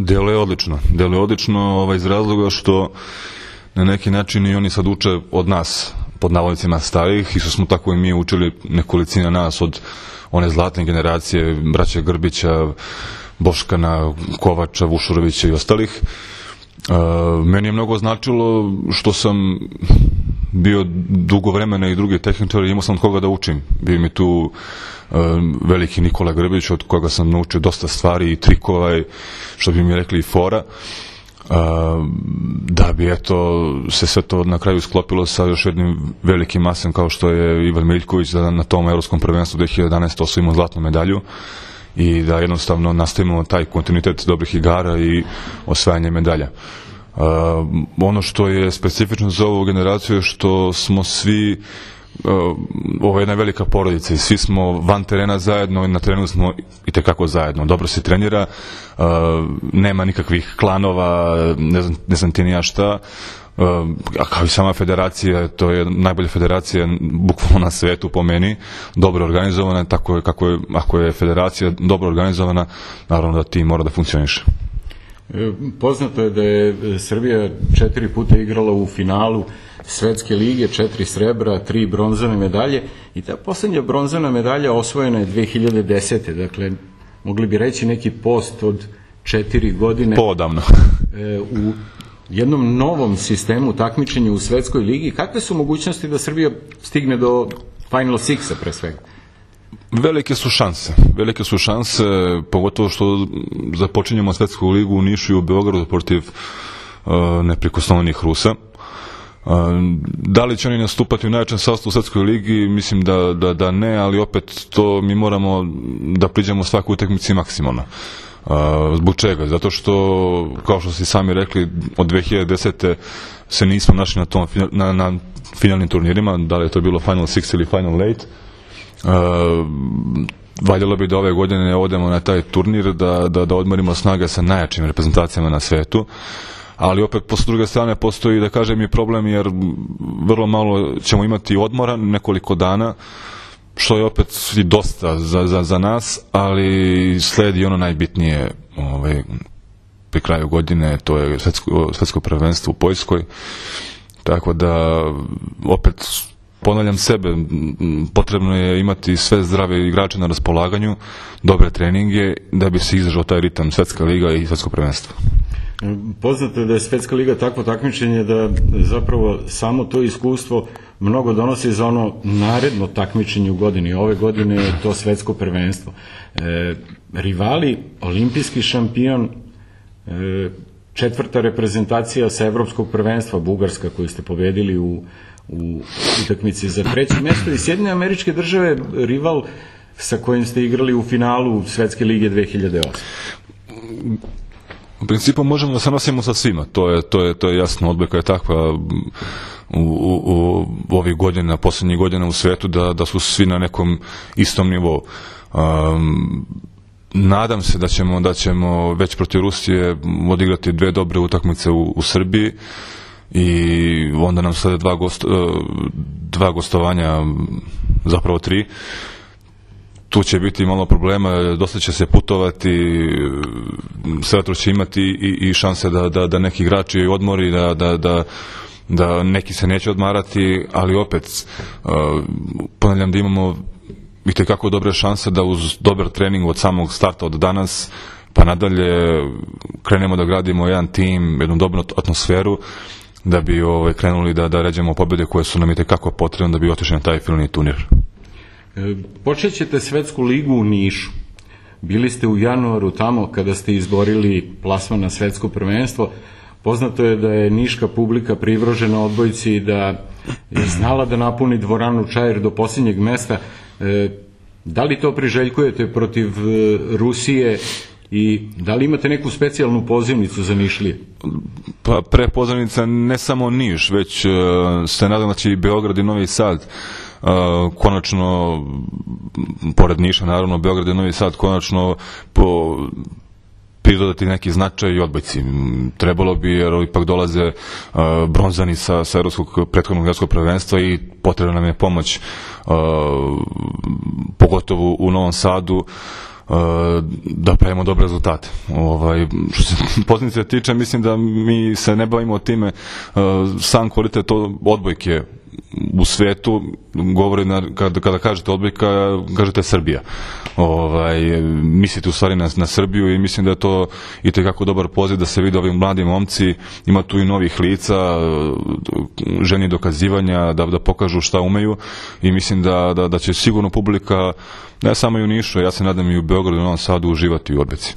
Deluje odlično iz razloga što na neki način i oni sad uče od nas, pod navodnicima starijih, i što smo tako i mi učili nekolicina nas od one zlatne generacije, braća Grbića, Boškana, Kovača, Vušurovića i ostalih. Meni je mnogo značilo što sam bio dugo vremena i drugi tehničar i imao sam od koga da učim. Bio mi tu veliki Nikola Grbić, od koga sam naučio dosta stvari i trikova, što bi mi rekli, i fora. Da bi se sve to na kraju sklopilo sa još jednim velikim masem kao što je Ivan Miljković, da na tom evropskom prvenstvu 2011. osvojimo zlatnu medalju i da jednostavno nastavimo taj kontinuitet dobrih igara i osvajanje medalja. Ono što je specifično za ovu generaciju je što smo svi, ovo je jedna velika porodica i svi smo van terena zajedno i na terenu smo itekako zajedno. Dobro se trenira, nema nikakvih klanova, ne znam ti ni ja šta, a kao i sama federacija, to je najbolja federacija bukvalno na svetu po meni, dobro organizovana, tako ako je federacija dobro organizovana, naravno da tim mora da funkcioniše. Poznato je da je Srbija 4 puta igrala u finalu Svetske lige, 4 srebra, 3 bronzane medalje i ta poslednja bronzana medalja osvojena je 2010. Dakle, mogli bi reći neki post od 4 godine. Podavno. U jednom novom sistemu takmičenja u Svetskoj ligi. Kakve su mogućnosti da Srbija stigne do Final Sixa pre svega? Velike su šanse, pogotovo što započinjemo Svetsku ligu u Nišu i u Beogradu protiv neprikosnovenih Rusa. Da li će oni nastupati u najjačem sastavu u Svetskoj ligi? Mislim da ne, ali opet to mi moramo da priđemo svaku utakmici maksimalno. Zbog čega? Zato što, kao što ste sami rekli, od 2010. se nismo našli na finalnim turnirima, da li je to bilo Final Six ili Final Eight. Valjalo bi da ove godine odemo na taj turnir, da odmorimo snage sa najjačim reprezentacijama na svetu, ali opet s druge strane postoji, da kažem, i problem, jer vrlo malo ćemo imati odmora, nekoliko dana, što je opet i dosta za nas, ali sledi ono najbitnije pri kraju godine, to je svetsko prvenstvo u Poljskoj, tako da opet ponavljam sebe, potrebno je imati sve zdrave igrače na raspolaganju, dobre treninge, da bi se izdržao taj ritam Svetska liga i Svetsko prvenstvo. Poznato je da je Svetska liga takvo takmičenje da zapravo samo to iskustvo mnogo donosi za ono naredno takmičenje u godini. Ove godine je to Svetsko prvenstvo. Rivali, olimpijski šampion, 4. reprezentacija sa Evropskog prvenstva, Bugarska, koju ste pobedili u utakmici za 3. mesto, i Sjedinjene Američke Države, rival sa kojim ste igrali u finalu Svetske lige 2008. U principu možemo da se nosimo sa svima, to je jasno, odbojka je takva u ovih godina, poslednjih godina u svetu, da su svi na nekom istom nivou. Nadam se da ćemo već protiv Rusije odigrati 2 dobre utakmice u Srbiji i onda nam slede 2 gostovanja, zapravo 3. Tu će biti malo problema, dosta će se putovati, Svetro će imati i šanse da neki igrači odmori, da neki se neće odmarati, ali opet ponavljam da imamo itekako dobre šanse da uz dobar trening od samog starta, od danas pa nadalje, krenemo da gradimo jedan tim, jednu dobru atmosferu, da bi krenuli da ređemo pobjede koje su nam itekako potrebne da bi otišli na taj finalni turnir. Počet ćete Svetsku ligu u Nišu. Bili ste u januaru tamo kada ste izborili plasman na Svetsko prvenstvo. Poznato je da je niška publika privržena odbojci i da je znala da napuni dvoranu Čair do posljednjeg mesta. Da li to priželjkujete protiv Rusije i da li imate neku specijalnu pozivnicu za Nišlije? Pa prepozivnica ne samo Niš, već se nadam da će i Beograd i Novi Sad konačno, pored Niša naravno, Beograd i Novi Sad konačno pridodati neki značaj i odbojci. Trebalo bi, jer ipak dolaze bronzani sa prethodnog evropskog prvenstva i potrebna nam je pomoć, pogotovo u Novom Sadu. da pravimo dobre rezultate. Što se pozicije tiče, mislim da mi se ne bavimo time, sam kvalitet odbojke u svetu govori, kada kažete odbojka, kažete Srbija. Mislite u stvari na Srbiju i mislim da je to itekako dobar poziv da se vide ovi mladi momci, ima tu i novih lica, ženi dokazivanja, da pokažu šta umeju i mislim da će sigurno publika, ne samo i u Nišu, ja se nadam i u Beogradu i u Novom Sadu, uživati u odbojci.